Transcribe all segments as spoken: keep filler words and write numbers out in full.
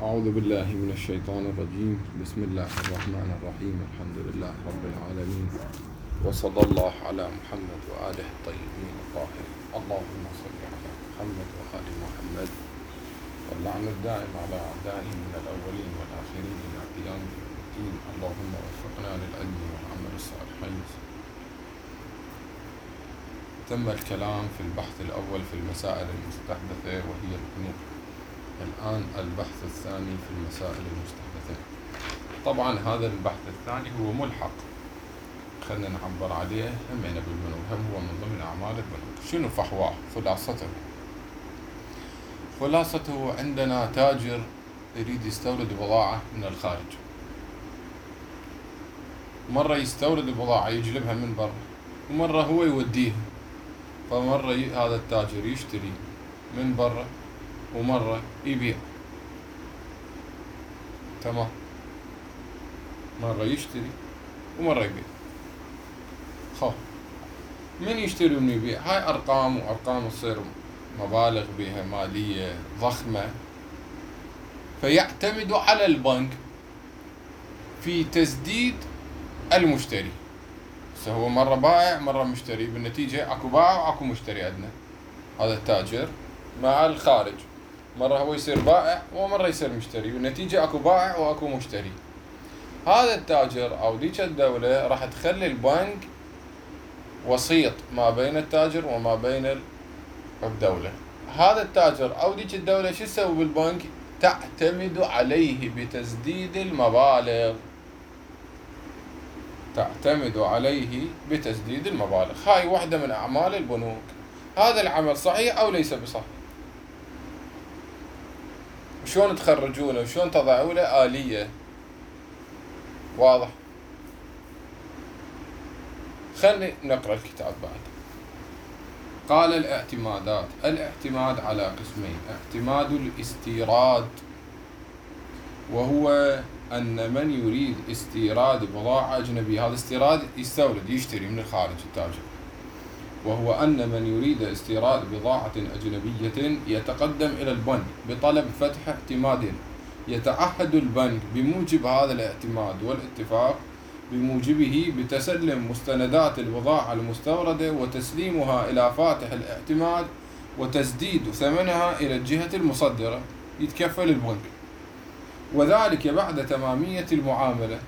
أعوذ بالله من الشيطان الرجيم. بسم الله الرحمن الرحيم. الحمد لله رب العالمين، وصلى الله على محمد وآله الطيبين الطاهرين. اللهم صل على محمد وآل محمد، واللعن الدائم على أعدائهم من الأولين والآخرين إلى قيام الدين. اللهم وفقنا للعلم والعمل الصالحين. تم الكلام في البحث الأول في المسائل المستحدثة وهي البنوك. الآن البحث الثاني في المسائل المستحدثة. طبعا هذا البحث الثاني هو ملحق، خلنا نعبر عليه همنا بالبنوك، هم هو من ضمن أعمال البنوك. شنو فحواه؟ خلاصته خلاصته عندنا تاجر يريد يستورد بضاعة من الخارج. مرة يستورد البضاعة يجلبها من برا، ومرة هو يوديها. فمرة هذا التاجر يشتري من برا، ومرة يبيع. تمام، مرة يشتري ومرة يبيع. خو من يشتري ومن يبيع؟ هاي أرقام، وأرقام تصير مبالغ بها مالية ضخمة، فيعتمد على البنك في تسديد المشتري. هو مرة بائع مرة مشتري، بالنتيجة اكو بائع واكو مشتري عندنا. هذا التاجر مع الخارج، مرة هو يصير بائع ومرة يصير مشتري، بالنتيجة اكو بائع واكو مشتري. هذا التاجر او ديك الدولة راح تخلي البنك وسيط ما بين التاجر وما بين الدولة. هذا التاجر او ديك الدولة شو تسوي بالبنك؟ تعتمد عليه بتسديد المبالغ. تعتمد عليه بتسديد المبالغ. هاي واحدة من أعمال البنوك. هذا العمل صحيح أو ليس بصحيح؟ وشون تخرجونه وشون تضعوا له آلية؟ واضح؟ خلني نقرأ الكتاب بعد. قال الاعتمادات. الاعتماد على قسمين: اعتماد الاستيراد، وهو أن من يريد استيراد بضاعة أجنبية، هذا استيراد يستورد يشتري من الخارج التاجر، وهو أن من يريد استيراد بضاعة أجنبية يتقدم إلى البنك بطلب فتح اعتماد، يتعهد البنك بموجب هذا الاعتماد والاتفاق بموجبه بتسلم مستندات البضاعة المستوردة وتسليمها إلى فاتح الاعتماد وتسديد ثمنها إلى الجهة المصدرة، يتكفل البنك، وذلك بعد تمامية المعاملة.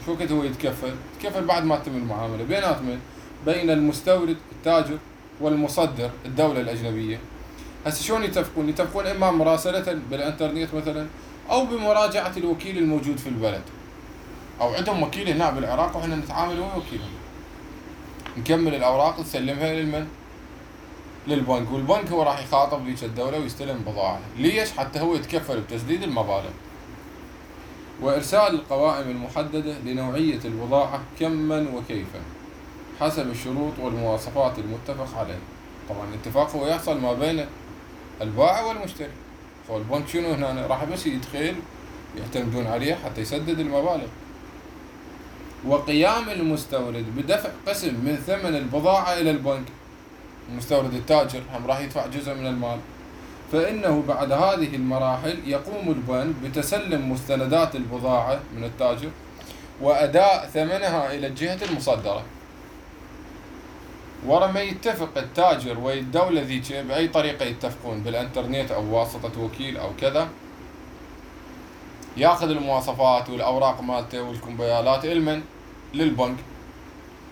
شو وقت هو يتكفل؟ يتكفل بعد ما تتم المعاملة بيناتهم، بين المستورد التاجر والمصدر الدولة الأجنبية. هسه شلون يتفقون؟ يتفقون إما مراسلة بالإنترنت مثلا، أو بمراجعة الوكيل الموجود في البلد، أو عندهم وكيل هنا بالعراق وإحنا نتعامل ويا وكيلهم، نكمل الأوراق نسلمها للمن؟ للبنك، والبنك هو راح يخاطب ذيك الدولة ويستلم بضاعة. ليش؟ حتى هو يتكفل بتسديد المبالغ وإرسال القوائم المحددة لنوعية البضاعة كما وكيفا حسب الشروط والمواصفات المتفق عليه. طبعا الاتفاق هو يحصل ما بين البائع والمشتري. فالبنك شنو هنا؟ راح بس يدخل يعتمدون عليه حتى يسدد المبالغ. وقيام المستورد بدفع قسم من ثمن البضاعة إلى البنك. المستورد التاجر هم راح يدفع جزء من المال. فإنه بعد هذه المراحل يقوم البنك بتسلم مستندات البضاعة من التاجر وأداء ثمنها إلى الجهة المصدرة. ورا ما يتفق التاجر والدولة ذيك بأي طريقة يتفقون، بالإنترنت أو واسطة وكيل أو كذا، ياخذ المواصفات والأوراق مالته والكمبيالات المن؟ للبنك،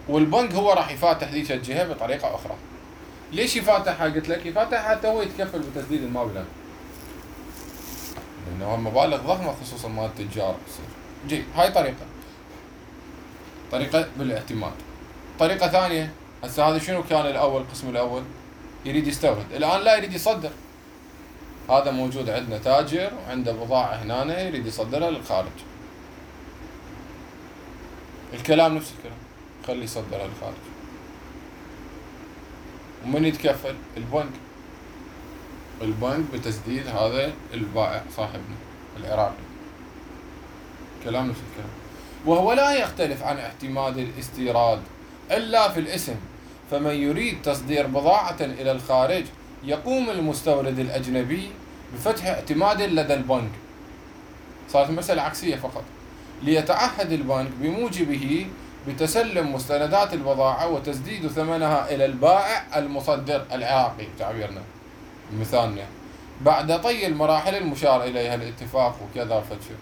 والبنك هو راح يفاتح ذيك الجهة بطريقة أخرى. ليش يفاتحها؟ قلت لك يفاتحها حتى هو يتكفل بتسديد المبلغ، لأنه مبالغ ضخمة خصوصا مال التجار تصير. جي هاي طريقة طريقة بالاعتماد. طريقة ثانية، هسه هذا شنو كان الأول؟ القسم الأول يريد يستورد، الآن لا يريد يصدر. هذا موجود عندنا تاجر وعنده بضاعة هنا يريد يصدرها للخارج. الكلام نفس الكلام، خلي يصدرها للخارج. ومن يتكفل؟ البنك. البنك بتسديد هذا البائع صاحبنا العراقي. كلام نفس الكلام. وهو لا يختلف عن اعتماد الاستيراد إلا في الاسم. فمن يريد تصدير بضاعة إلى الخارج يقوم المستورد الأجنبي بفتح اعتماد لدى البنك صارت مسألة عكسية فقط. ليتعهد البنك بموجبه بتسلم مستندات البضاعة وتسديد ثمنها إلى البائع المصدر العراقي تعبيرنا مثالنا بعد طي المراحل المشار إليها الاتفاق وكذا فتشو.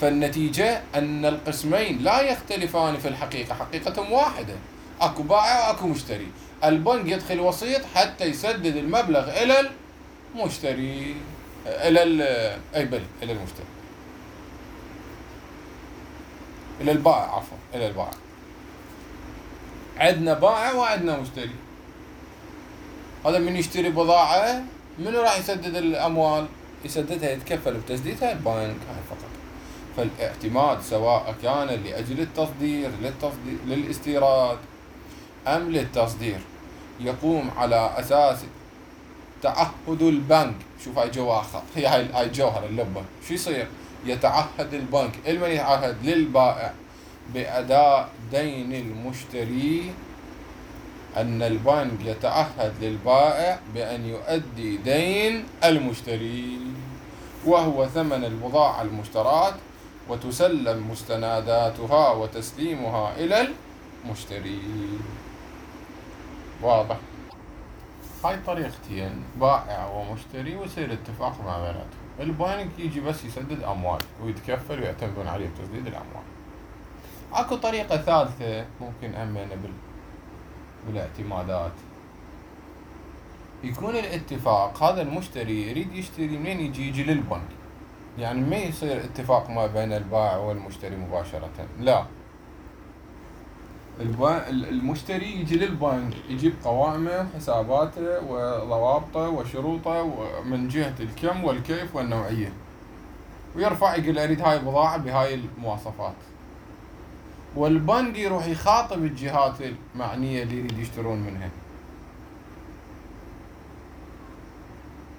فالنتيجة أن القسمين لا يختلفان في الحقيقة، حقيقتهم واحدة، أكو بائع وأكو مشتري. البنك يدخل وسيط حتى يسدد المبلغ إلى المشتري إلى أي بل إلى المشتري إلى البائع عفوا إلى البائع. عندنا بائع وعندنا مشتري. هذا من يشتري بضاعة منو راح يسدد الأموال؟ يسددها يتكفل بتسديدها البنك هاي فقط. فالاعتماد سواء كان لأجل التصدير للتصدير للاستيراد أم للتصدير يقوم على أساس تعهد البنك. شوف هاي جوا خط، هي هاي هاي جوهر اللبة. شو يصير؟ يتعهد البنك المن يتعهد للبائع بأداء دين المشتري، أن البنك يتعهد للبائع بأن يؤدي دين المشتري وهو ثمن البضاعة المشتراة وتسلم مستنداتها وتسليمها إلى المشتري. واضح؟ هاي طريقتين، بائع ومشتري، ويصير اتفاق مع بيناتهم. البنك يجي بس يسدد أموال ويتكفل ويعتمدون عليه بتسديد الأموال. اكو طريقة ثالثة ممكن همينة بال... بالاعتمادات. يكون الاتفاق هذا المشتري يريد يشتري منين يجي يجي للبنك، يعني ما يصير اتفاق ما بين البائع والمشتري مباشرة، لا، المشتري يجي للبنك يجيب قوائمه وحساباته وضوابطه وشروطه من جهة الكم والكيف والنوعية، ويرفع يقول أريد هاي البضاعة بهاي المواصفات، والبنك يروح يخاطب الجهات المعنية اللي يريد يشترون منها.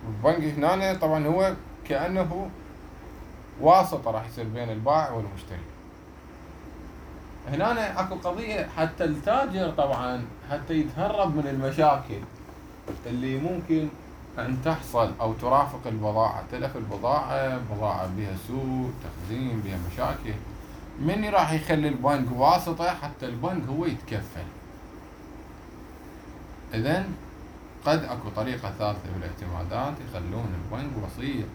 البنك هنا طبعا هو كأنه واسطة راح يصير بين البائع والمشتري. هنا اكو قضية حتى التاجر طبعا حتى يتهرب من المشاكل اللي ممكن ان تحصل او ترافق البضاعة، تلف البضاعة، بضاعة بها سوء تخزين بها مشاكل، من راح يخلي البنك واسطة حتى البنك هو يتكفل. اذن قد اكو طريقة ثالثة بالاعتمادات يخلون البنك وسيط،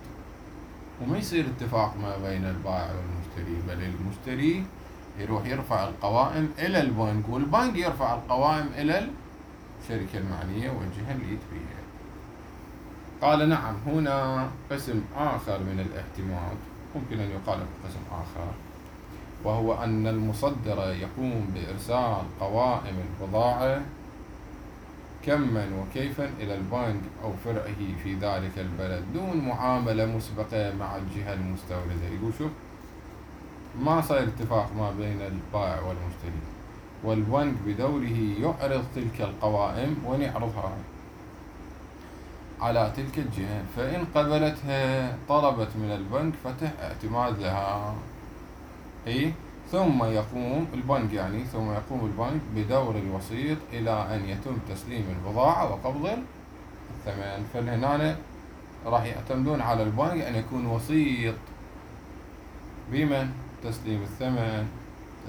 وما يصير اتفاق ما بين البائع والمشتري، بل المشتري يروح يرفع القوائم إلى البنك والبنك يرفع القوائم إلى الشركة المعنية والجهة اللي يتبيها. قال نعم، هنا قسم آخر من الاعتماد ممكن أن يقال قسم آخر، وهو أن المصدر يقوم بإرسال قوائم البضاعة كما وكيفا إلى البنك أو فرعه في ذلك البلد دون معاملة مسبقة مع الجهة المستوردة. يقول شوف، ما صار اتفاق ما بين البائع والمشتري، والبنك بدوره يعرض تلك القوائم ونعرضها على تلك الجهة، فإن قبلتها طلبت من البنك فتح اعتماد لها، إيه؟ ثم يقوم البنك يعني ثم يقوم البنك بدور الوسيط إلى أن يتم تسليم البضاعة وقبض الثمن. فهنا راح يعتمدون على البنك أن يكون وسيط بمن؟ تسليم الثمن،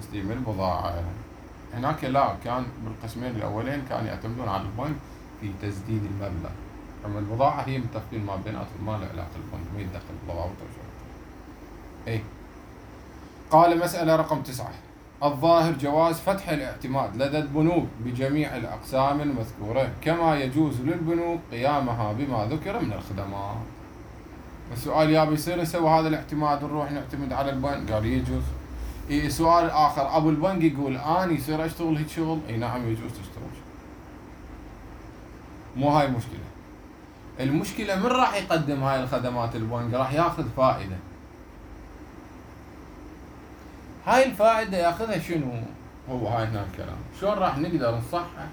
تسليم البضاعة. هناك لا، كان بالقسمين الأولين كانوا يعتمدون على البنك في تسديد المبلغ، أما البضاعة هي متفقين ما بيناتهم، ما له علاقة البنك، ما يتدخل بضاعته وشروطه. إيه؟ قال مسألة رقم تسعة: الظاهر جواز فتح الاعتماد لدى البنوك بجميع الأقسام المذكورة، كما يجوز للبنوك قيامها بما ذكر من الخدمات. السؤال: يا بيصير نسوي هذا الاعتماد ونروح نعتمد على البنك؟ قال يجوز. إيه سؤال آخر، أبو البنك يقول أنا يصير أشتغل هيك شغل؟ إيه نعم يجوز تشتغل شغل. مو هاي المشكلة. المشكلة من راح يقدم هاي الخدمات البنك؟ راح ياخذ فائدة. هاي الفائدة ياخذها شنو؟ هو هاي هنا الكلام. شلون راح نقدر نصحح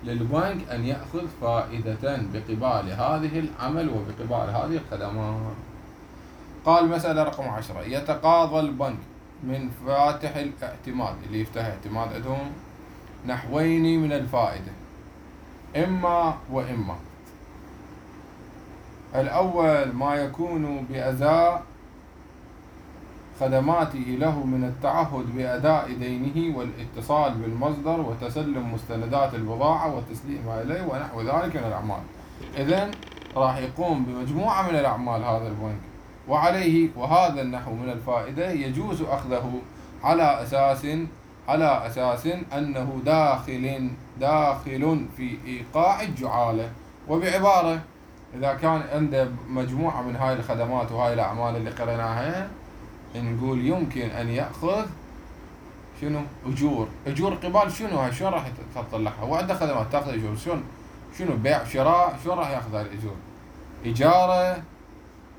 للبنك أن يأخذ فائدة بقبال هذه العمل وبقبال هذه الخدمات؟ قال مسألة رقم عشرة: يتقاضى البنك من فاتح الاعتماد اللي يفتح اعتماد عندهم نحوين من الفائدة، إما وإما. الأول ما يكون بأداء خدماته له من التعهد بأداء دينه والاتصال بالمصدر وتسلم مستندات البضاعة وتسليمها إليه ونحو ذلك من الأعمال. إذن راح يقوم بمجموعة من الأعمال هذا البنك، وعليه وهذا النحو من الفائدة يجوز أخذه على أساس على أساس أنه داخل داخل في إيقاع الجعالة. وبعبارة، إذا كان عنده مجموعة من هاي الخدمات وهاي الأعمال اللي قرأناها، نقول يمكن أن يأخذ شنو؟ أجور. أجور قبال شنو؟ هاي شلون راح تطلعها؟ وعنده خدمات تأخذ أجور، شلون؟ شنو؟ بيع شراء، شلون راح يأخذ هاي الأجور؟ إجارة،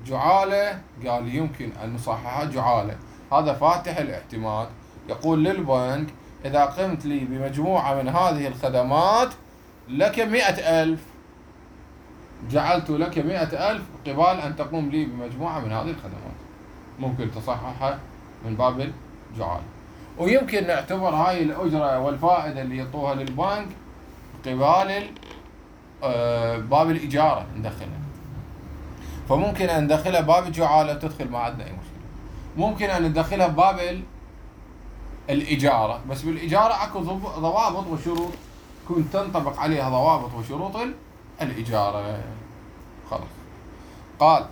جعالة، قال يمكن أن نصححها جعالة. هذا فاتح الاعتماد، يقول للبنك إذا قمت لي بمجموعة من هذه الخدمات لك مئة ألف، جعلت لك مئة ألف قبال أن تقوم لي بمجموعة من هذه الخدمات. ممكن تصححها من باب الجعالة. ويمكن نعتبر هاي الأجرة والفائدة اللي يعطوها للبنك قبال باب الإجارة ندخلها، فممكن أن ندخلها باب الجعالة تدخل ما عندنا أي مشكلة. ممكن أن ندخلها باب الإجارة، بس بالإجارة أكو ضوابط وشروط تكون تنطبق عليها ضوابط وشروط الإجارة. خلاص. قال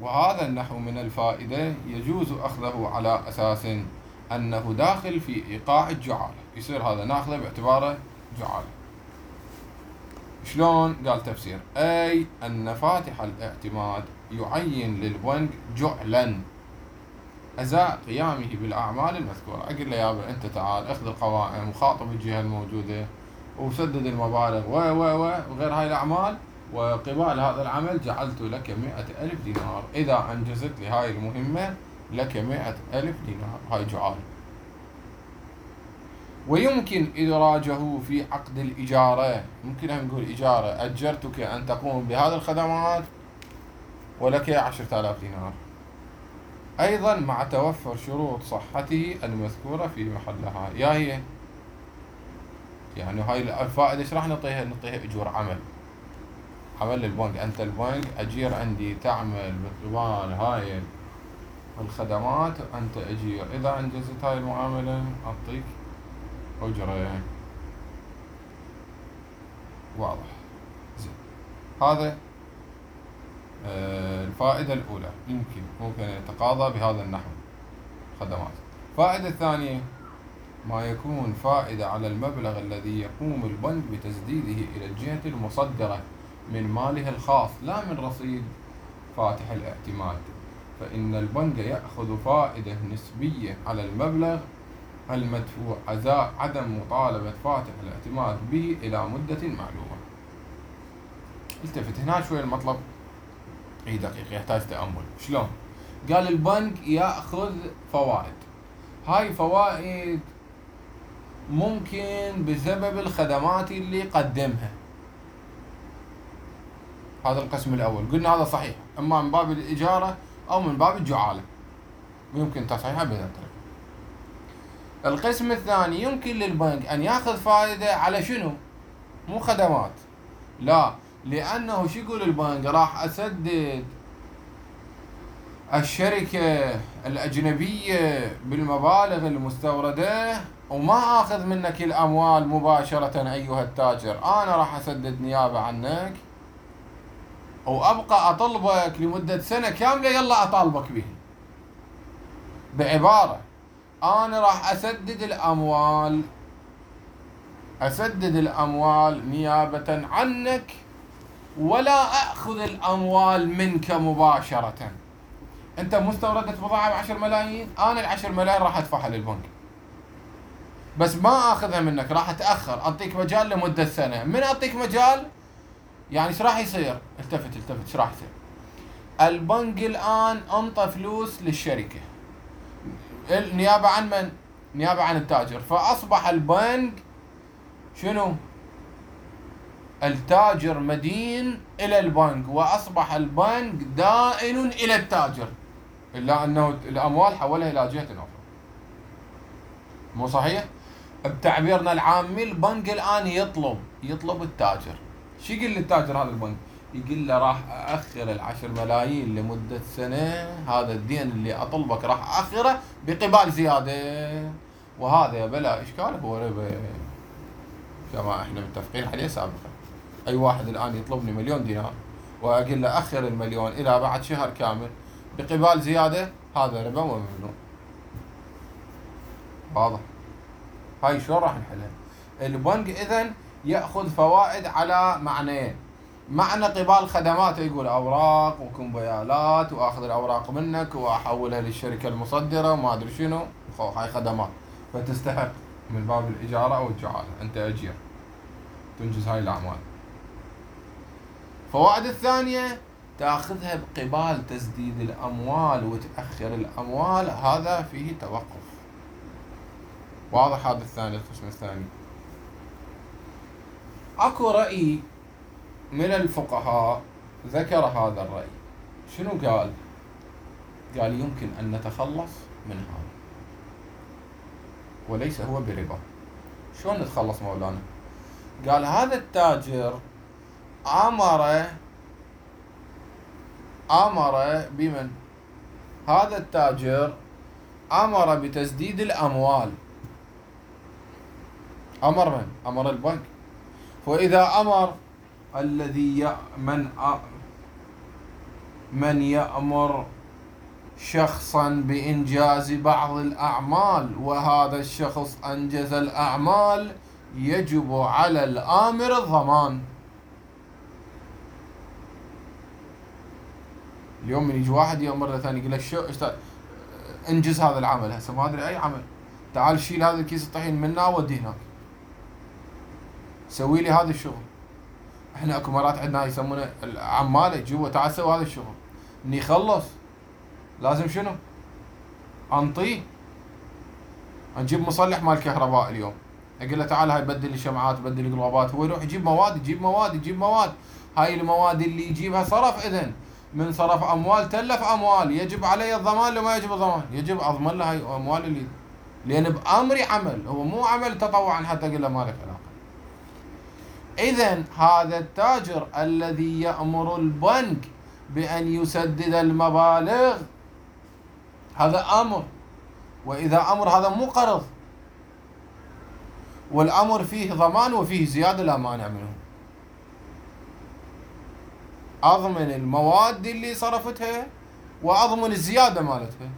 وهذا النحو من الفائدة يجوز أخذه على أساس أنه داخل في إيقاع الجعالة، يصير هذا ناخذه باعتباره جعالة. شلون؟ قال تفسير: أي أن فاتح الاعتماد يعين للبنك جعلا أزاء قيامه بالأعمال المذكورة. أقول له يابا أنت تعال اخذ القوائم وخاطب الجهة الموجودة وسدد المبالغ و و و وغير هاي الأعمال، وقبال هذا العمل جعلت لك مئة ألف دينار. إذا أنجزت لي هاي المهمة لك مئة ألف دينار. هاي جعال. ويمكن إدراجه في عقد الإجارة. ممكن أن نقول إجارة، أجرتك أن تقوم بهذه الخدمات ولك عشرة آلاف دينار، أيضا مع توفر شروط صحته المذكورة في محلها. يا هي يعني هاي الفائدة ايش راح نعطيها؟ نعطيها أجور عمل، عمل للبنك. أنت البنك أجير عندي تعمل بقبال هاي الخدمات، أنت أجير، إذا أنجزت هاي المعاملة أعطيك أجرة. واضح. زين. هذا آه الفائدة الأولى، يمكن ممكن يتقاضى بهذا النحو خدمات. الفائدة الثانية ما يكون فائدة على المبلغ الذي يقوم البنك بتسديده إلى الجهة المصدرة من ماله الخاص لا من رصيد فاتح الاعتماد، فإن البنك يأخذ فائدة نسبية على المبلغ المدفوع أزاء عدم مطالبة فاتح الاعتماد به إلى مدة معلومة. التفت هنا شوي المطلب، اي دقيقة يحتاج تأمل. شلون؟ قال البنك يأخذ فوائد، هاي فوائد ممكن بسبب الخدمات اللي قدمها. هذا القسم الأول قلنا هذا صحيح، إما من باب الإجارة أو من باب الجعالة، ويمكن تصحيحها بهذا الطريقة. القسم الثاني يمكن للبنك أن يأخذ فائدة على شنو؟ مو خدمات، لا، لأنه شو يقول البنك؟ راح أسدد الشركة الأجنبية بالمبالغ المستوردة وما أخذ منك الأموال مباشرة أيها التاجر، أنا راح أسدد نيابة عنك وأبقى أطلبك لمدة سنة كاملة، يلا أطالبك به. بعبارة، أنا راح أسدد الأموال أسدد الأموال نيابة عنك ولا أخذ الأموال منك مباشرة. أنت مستوردة بضاعة بعشر ملايين، أنا العشر ملايين راح أدفعها للبنك، بس ما أخذها منك، راح أتأخر، أعطيك مجال لمدة سنة. من أعطيك مجال يعني ايش راح يصير؟ التفت التفت ايش راح يصير؟ البنك الآن أنطى فلوس للشركة نيابة عن من؟ نيابة عن التاجر، فأصبح البنك شنو؟ التاجر مدين إلى البنك، وأصبح البنك دائن إلى التاجر، إلا أنه الأموال حولها إلى جهة أخرى. مو صحيح؟ بتعبيرنا العامي البنك الآن يطلب يطلب التاجر. شو يقول للتاجر هذا البنك؟ يقول له راح أأخر العشر ملايين لمدة سنة، هذا الدين اللي أطلبك راح أأخره بقبال زيادة، وهذا بلا إشكال هو ربا كما إحنا متفقين عليه سابقا. أي واحد الآن يطلبني مليون دينار وأقول له أخر المليون إلى بعد شهر كامل بقبال زيادة، هذا ربا وممنوع. واضح؟ هاي شلون راح نحلها؟ البنك إذن يأخذ فوائد على معنيين: معنى قبال خدماته، يقول أوراق وكمبيالات وأخذ الأوراق منك وأحولها للشركة المصدرة وما أدري شنو، هاي خدمات فتستحق من باب الإجارة أو الجعالة، أنت أجير تنجز هاي الأعمال. فوائد الثانية تأخذها بقبال تسديد الأموال وتأخر الأموال، هذا فيه توقف. واضح هذا الثاني، القسم الثاني. أكو رأي من الفقهاء ذكر هذا الرأي، شنو قال؟ قال يمكن أن نتخلص من هذا وليس هو بربا. شلون نتخلص مولانا؟ قال هذا التاجر أمر أمر بمن؟ هذا التاجر أمر بتسديد الأموال. أمر من؟ أمر البنك. وإذا أمر الذي من من يأمر شخصا بإنجاز بعض الأعمال وهذا الشخص أنجز الأعمال، يجب على الآمر الضمان. اليوم من يجي واحد يأمر ثاني يقول له شو انجز هذا العمل، هسه ما أدري أي عمل، تعال شيل هذا الكيس الطحين منا وديه هناك، سوي لي هذا الشغل. احنا اكو مرات عندنا يسمونه العماله، جوا تعال سوي هذا الشغل، اني يخلص لازم شنو؟ انطيه. نجيب مصلح مال كهرباء اليوم، اقول له تعال هاي بدل لي شمعات بدل لي قلوبات، هو يروح يجيب مواد يجيب مواد يجيب مواد. هاي المواد اللي يجيبها صرف، اذن من صرف اموال تلف اموال، يجب علي الضمان لو ما يجب الضمان؟ يجب اضمن له هاي الاموال اللي، لان بامري عمل، هو مو عمل تطوعا حتى اقول له ما لك علاقه. إذن هذا التاجر الذي يأمر البنك بأن يسدد المبالغ هذا أمر، وإذا أمر هذا مو قرض، والأمر فيه ضمان وفيه زيادة لا مانع منه. أضمن المواد اللي صرفتها وأضمن الزيادة مالتها،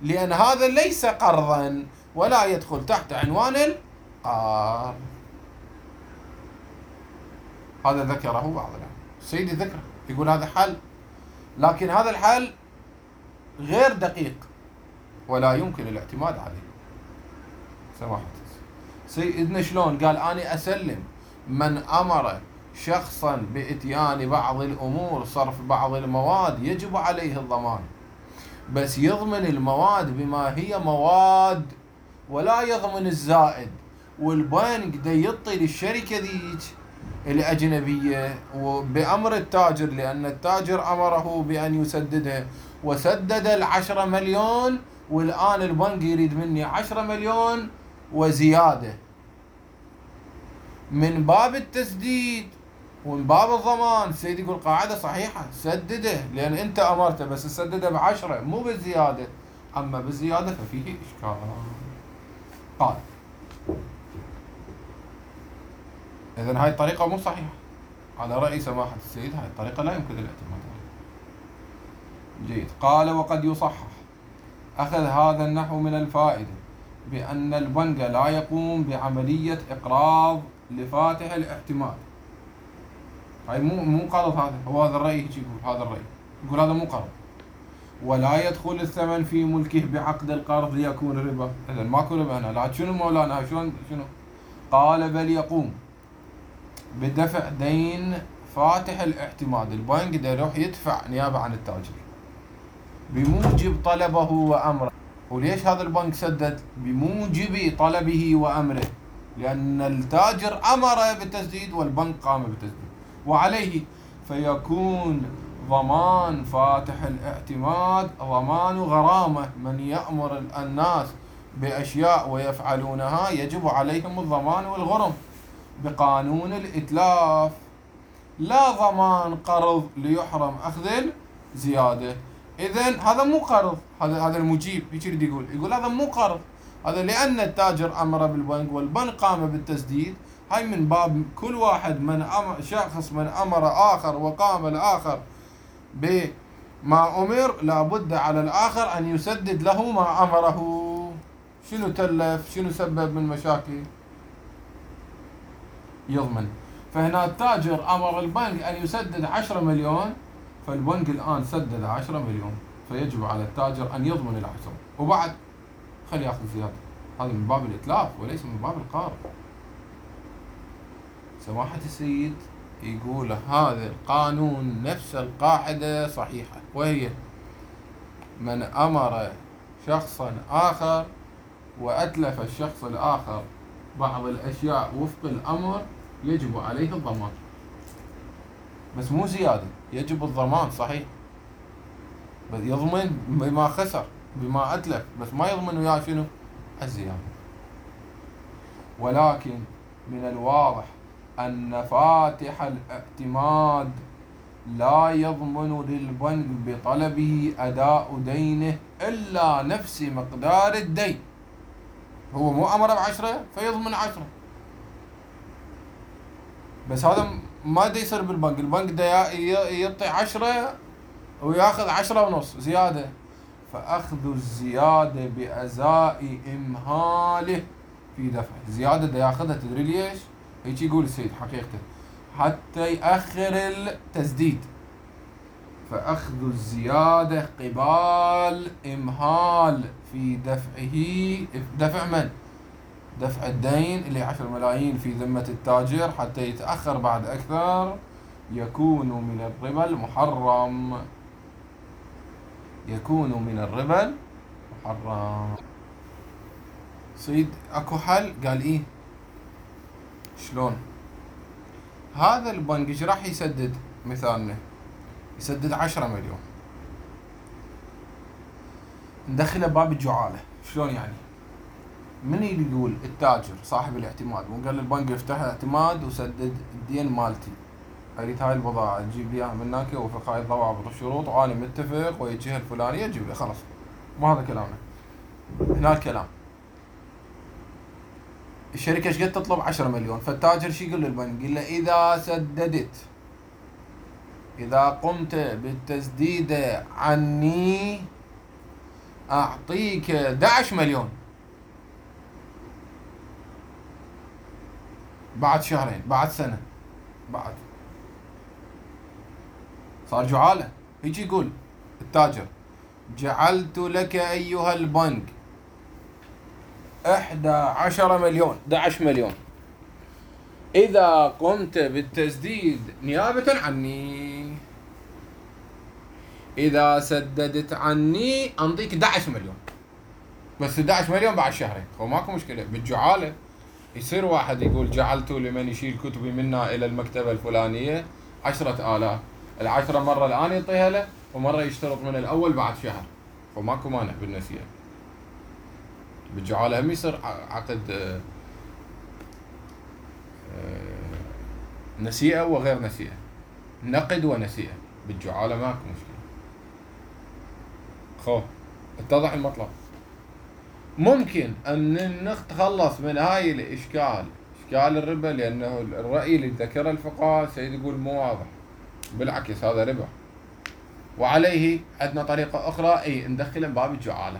لأن هذا ليس قرضا ولا يدخل تحت عنوان القرض. هذا ذكره بعض العلماء، سيدي ذكره، يقول هذا حل، لكن هذا الحل غير دقيق ولا يمكن الاعتماد عليه. سماحة سيدنا شلون؟ قال أنا أسلم من أمر شخصا بإتيان بعض الأمور صرف بعض المواد يجب عليه الضمان، بس يضمن المواد بما هي مواد ولا يضمن الزائد. والبنك دا يعطي للشركة ذيك الأجنبية وبأمر التاجر، لأن التاجر أمره بأن يسددها، وسدد العشرة مليون، والآن البنك يريد مني عشرة مليون وزيادة. من باب التسديد ومن باب الضمان سيدي يقول قاعدة صحيحة، سدده لأن أنت أمرته، بس سدده بعشرة مو بالزيادة، أما بالزيادة ففيه إشكال. قال إذن هاي الطريقة مو صحيحة على رأي سماحة السيد، هاي الطريقة لا يمكن الاعتماد عليها. جيد. قال وقد يصحح أخذ هذا النحو من الفائدة بأن البنك لا يقوم بعملية إقراض لفاتح الاحتمال. هاي مو مو قرض، هذا هو هذا الرأي يقول، هذا الرأي يقول هذا مو قرض، ولا يدخل الثمن في ملكه بعقد القرض ليكون ربا. إذن ماكو ربا هنا. لا شنو مولانا شلون شنو؟ قال بل يقوم بدفع دين فاتح الاعتماد. البنك دا يروح يدفع نيابة عن التاجر بموجب طلبه وأمره. وليش هذا البنك سدد؟ بموجب طلبه وأمره، لأن التاجر أمر بالتسديد والبنك قام بالتسديد، وعليه فيكون ضمان فاتح الاعتماد ضمان غرامة. من يأمر الناس بأشياء ويفعلونها يجب عليهم الضمان والغرم بقانون الإتلاف. لا ضمان قرض ليحرم أخذ الزيادة. إذن هذا مو قرض. هذا هذا المجيب هيك يريد يقول يقول هذا مو قرض، هذا لأن التاجر أمر بالبنك والبنك قام بالتسديد. هاي من باب كل واحد من أمر شخص من أمر آخر وقام الآخر بما أمر لابد على الآخر أن يسدد له ما أمره. شنو تلف؟ شنو سبب من مشاكل؟ يضمن. فهنا التاجر أمر البنك أن يسدد عشرة مليون، فالبنك الآن سدد عشرة مليون، فيجب على التاجر أن يضمن العشرة وبعد خلي يأخذ زيادة. هذا من باب الإتلاف وليس من باب القرض. سماحة السيد يقول هذا القانون نفس القاعدة صحيحة، وهي من أمر شخصا آخر وأتلف الشخص الآخر بعض الأشياء وفق الأمر يجب عليه الضمان، بس مو زيادة، يجب الضمان صحيح، بس يضمن بما خسر بما أتلف، بس ما يضمن وياه شنو؟ الزيادة. ولكن من الواضح أن فاتح الاعتماد لا يضمن للبنك بطلبه أداء دينه إلا نفس مقدار الدين. هو مو أمر بعشرة فيضمن عشرة، بس هذا ما دا يصير بالبنك. البنك دا يعطي عشرة وياخذ عشرة ونص زيادة، فأخذ الزيادة بأزاء إمهاله في دفع الزيادة دا ياخذها. تدري ليش؟ هيك يقول السيد حقيقته حتى يأخر التسديد، فأخذ الزيادة قبال إمهال في دفعه. دفع من؟ دفع الدين اللي عشر ملايين في ذمة التاجر حتى يتأخر بعد أكثر، يكون من الربا المحرم. يكون من الربا المحرم. سيد اكو حل؟ قال ايه شلون؟ هذا البنك ايش راح يسدد؟ مثالنا يسدد عشرة مليون، ندخله باب الجعالة. شلون يعني؟ من يقول؟ التاجر صاحب الاعتماد، وقال البنك افتح اعتماد وسدد الدين مالتي، اريد هاي البضاعة تجيب لي اياها من هناك وفق هاي الضوابط والشروط وانا متفق ويا الجهة الفلانية تجيب لي، خلاص مو هذا كلامنا. هنا الكلام الشركة ايش قد تطلب؟ عشرة مليون، فالتاجر شو يقول للبنك؟ يقول له إذا سددت، إذا قمت بالتسديد عني أعطيك أحد عشر مليون بعد شهرين، بعد سنة، بعد صار جعالة. هيك يقول التاجر جعلت لك أيها البنك أحد عشر مليون، أحد عشر مليون، إذا قمت بالتسديد نيابة عني، إذا سددت عني أنطيك أحد عشر مليون، بس أحد عشر مليون بعد شهرين. هو ماكو مشكلة بالجعالة. يصير واحد يقول جعلت لمن يشيل كتبي منا إلى المكتبة الفلانية عشرة آلاف، العشرة مرة الآن يعطيها له ومرة يشترط من الأول بعد شهر، فماكو مانع بالنسيئة. بالجعالة هم يصير عقد نسيئة وغير نسيئة، نقد ونسيئة. بالجعالة ماكو مشكلة. خو اتضح المطلب. ممكن أن نتخلص من هاي الإشكال، إشكال الربا، لأنه الرأي اللي ذكره الفقهاء سيد يقول مو واضح، بالعكس هذا ربا، وعليه عندنا طريقة أخرى أي ندخله باب الجعالة.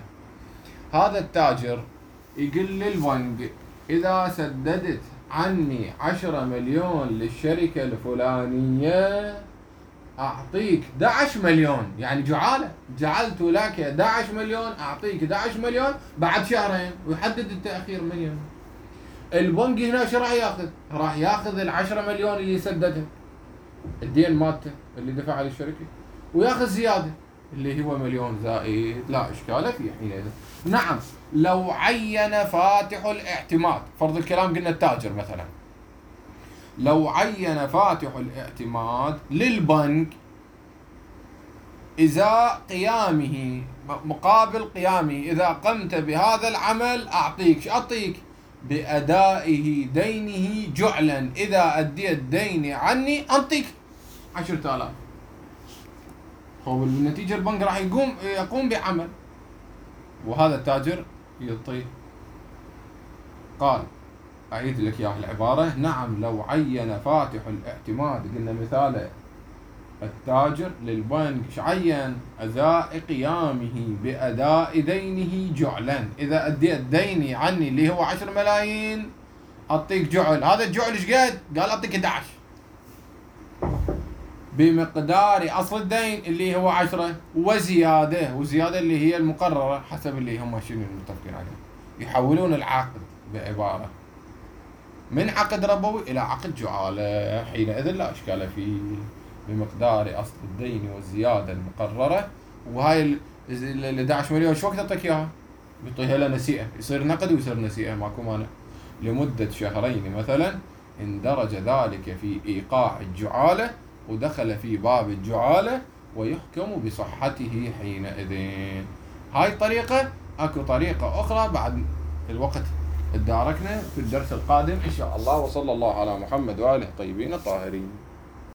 هذا التاجر يقول للبنك إذا سددت عني عشرة مليون للشركة الفلانية أعطيك أحد عشر مليون، يعني جعالة. جعلت لك أحد عشر مليون أعطيك أحد عشر مليون بعد شهرين، ويحدد التأخير من يوم. البنك هنا شو راح ياخذ؟ راح ياخذ العشرة مليون اللي سددها الدين مالته اللي دفعها للشركة، وياخذ زيادة اللي هو مليون زائد، لا إشكال فيه حينئذ. نعم لو عين فاتح الاعتماد، فرض الكلام قلنا التاجر مثلا، لو عين فاتح الاعتماد للبنك إذا قيامه مقابل قيامه إذا قمت بهذا العمل أعطيك، شو أعطيك؟ بأدائه دينه جعلا، إذا أديت ديني عني أنطيك عشرة آلاف. هو بالنتيجة البنك راح يقوم يقوم بعمل، وهذا التاجر يعطيه. قال أعيد لك إياه العبارة: نعم لو عين فاتح الاعتماد، قلنا مثاله التاجر للبنك، ايش عين؟ أداء قيامه بأداء دينه جعلا. إذا أديت ديني عني اللي هو عشر ملايين أعطيك جعل. هذا الجعل ايش قد؟ قال أعطيك أحد عشر بمقدار أصل الدين اللي هو عشرة وزيادة، وزيادة اللي هي المقررة حسب اللي هم شنو المتفقين عليه. يحولون العقد بعبارة من عقد ربوي إلى عقد جعالة، حينئذ لا إشكال فيه، بمقدار أصل الدين والزيادة المقررة. وهاي ال أحد عشر مليون شو وقت أعطيك إياها؟ يعطيها له نسيئة، يصير نقد ويصير نسيئة، ماكو مانع. لمدة شهرين مثلا اندرج ذلك في إيقاع الجعالة ودخل في باب الجعالة ويحكم بصحته حينئذ. هاي الطريقة. اكو طريقة أخرى بعد الوقت اداركنا في الدرس القادم إن شاء الله. وصلى الله على محمد وآله الطيبين الطاهرين.